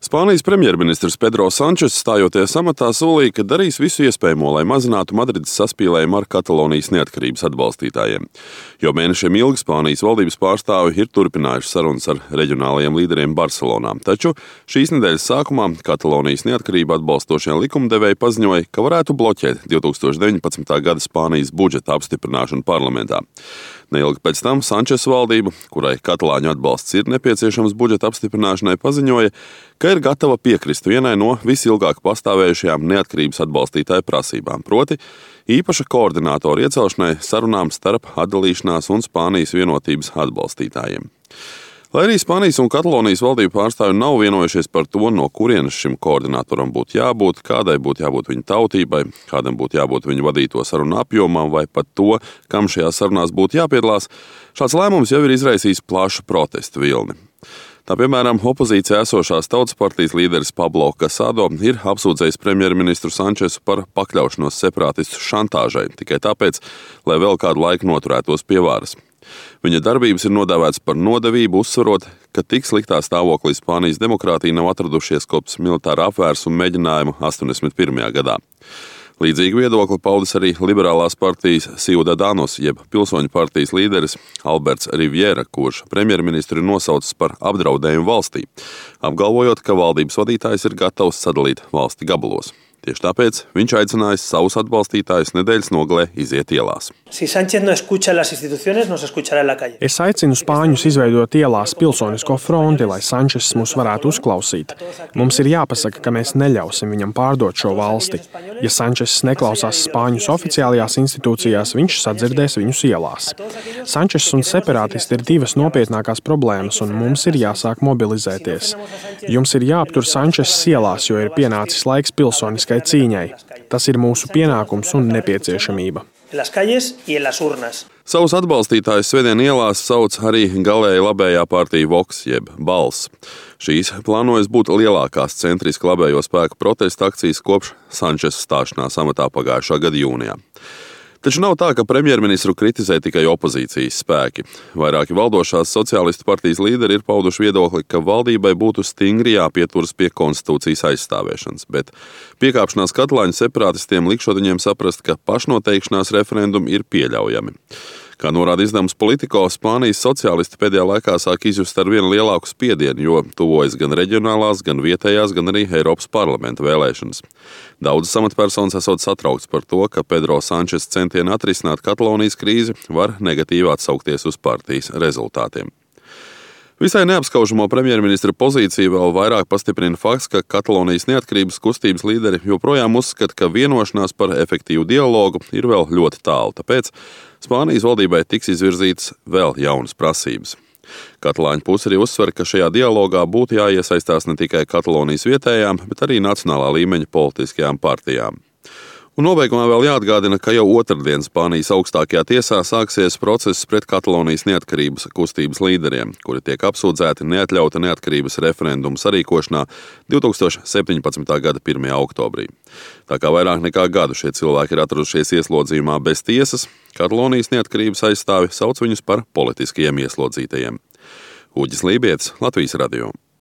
Spānijas premjerministrs Pedro Sančes stājoties amatā solīja, ka darīs visu iespējamo, lai mazinātu Madrides saspīlējumu ar Katalonijas neatkarības atbalstītājiem. Jau mēnešiem ilgi Spānijas valdības pārstāvi ir turpinājuši sarunas ar reģionālajiem līderiem Barcelonā. Taču šīs nedēļas sākumā Katalonijas neatkarību atbalstošie likumdevēji paziņoja, ka varētu bloķēt 2019. gada Spānijas budžeta apstiprināšanu parlamentā. Neilgi pēc tam Sančes valdība, kurai katalāņu atbalsts ir nepieciešams budžeta apstiprināšanai, paziņoja, ka ir gatava piekrist vienai no visilgāk pastāvējušajām neatkarības atbalstītāju prasībām, proti īpaša koordinātora iecelšanai sarunām starp atdalīšanās un Spānijas vienotības atbalstītājiem. Lai arī Spānijas un Katalonijas valdību pārstāvji nav vienojušies par to, no kurienes šim koordinātoram būtu jābūt, kādai būtu jābūt viņa tautībai, kādam būtu jābūt viņa vadīto sarunu apjomam vai pat to, kam šajās sarunās būtu jāpiedalās, šāds lēmums jau ir izraisījis plašu protestu vilni. Tā piemēram, opozīcijā esošās Tautas partijas līderis Pablo Casado ir apsūdzējis premjerministru Sančesu par pakļaušanos separātistu šantāžai, tikai tāpēc, lai vēl kādu laiku noturētos pie varas. Viņa darbības ir nodēvētas par nodevību, uzsverot, ka tik sliktā stāvoklī Spānijas demokrātija nav atradušies kopš militāra apvērsuma mēģinājuma 81. gadā. Līdzīgu viedokli paudis arī liberālās partijas Ciudadanos, jeb pilsoņu partijas līderis Alberts Riviera, kurš premjerministru ir nosaucis par apdraudējumu valstī, apgalvojot, ka valdības vadītājs ir gatavs sadalīt valsti gabalos. Tieši tāpēc viņš aicinājis savus atbalstītājus nedēļas nogalē iziet ielās. Es aicinu spāņus izveidot ielās pilsonisko fronti, lai Sančes mūs varētu uzklausīt. Mums ir jāpasaka, ka mēs neļausim viņam pārdot šo valsti. Ja Sančes neklausās spāņus oficiālajās institūcijās, viņš sadzirdēs viņus ielās. Sančes un separātisti ir divas nopietnākās problēmas, un mums ir jāsāk mobilizēties. Jums ir jāaptur Sančes ielās, jo ir pienācis laiks pilsoniskai cīņai. Tas ir mūsu pienākums un nepieciešamība. Savus atbalstītājus svētdien ielās sauc arī galēji labējā partija Vox, jeb Balss. Šīs plānojas būt lielākās centriski labējo spēku protesta akcijas kopš Sančes stāšanās amatā pagājušā gada jūnijā. Taču nav tā, ka premjerministru kritizē tikai opozīcijas spēki. Vairāki valdošās sociālistu partijas līderi ir pauduši viedokli, ka valdībai būtu stingri jāpieturas pie konstitūcijas aizstāvēšanas, bet piekāpšanās katalāņu separātistiem likšot viņiem saprast, ka pašnoteikšanās referendumi ir pieļaujami. Kā norāda izdevums Politico, Spānijas sociālisti pēdējā laikā sāk izjust ar vien lielāku spiedienu, jo tuvojas gan reģionālās, gan vietējās, gan arī Eiropas parlamenta vēlēšanas. Daudzas amatpersonas esot satraukts par to, ka Pedro Sančes centieni atrisināt Katalonijas krīzi var negatīvi atsaukties uz partijas rezultātiem. Visai neapskaužamo premjerministra pozīciju vēl vairāk pastiprina fakts, ka Katalonijas neatkarības kustības līderi joprojām uzskata, ka vienošanās par efektīvu dialogu ir vēl ļoti tālu, tāpēc Spānijas valdībai tiks izvirzītas vēl jaunas prasības. Katalāņu puse arī uzsver, ka šajā dialogā būtu jāiesaistās ne tikai Katalonijas vietējām, bet arī nacionālā līmeņa politiskajām partijām. Un nobeigumā vēl jāatgādina, ka jau otrdien Spānijas augstākajā tiesā sāksies process pret Katalonijas neatkarības kustības līderiem, kuri tiek apsūdzēti neatļauta neatkarības referendumu sarīkošanā 2017. gada 1. oktobrī. Tā kā vairāk nekā gadu šie cilvēki ir atradušies ieslodzījumā bez tiesas, Katalonijas neatkarības aizstāvi sauc viņus par politiskajiem ieslodzītajiem. Uģis Lībietis, Latvijas radio.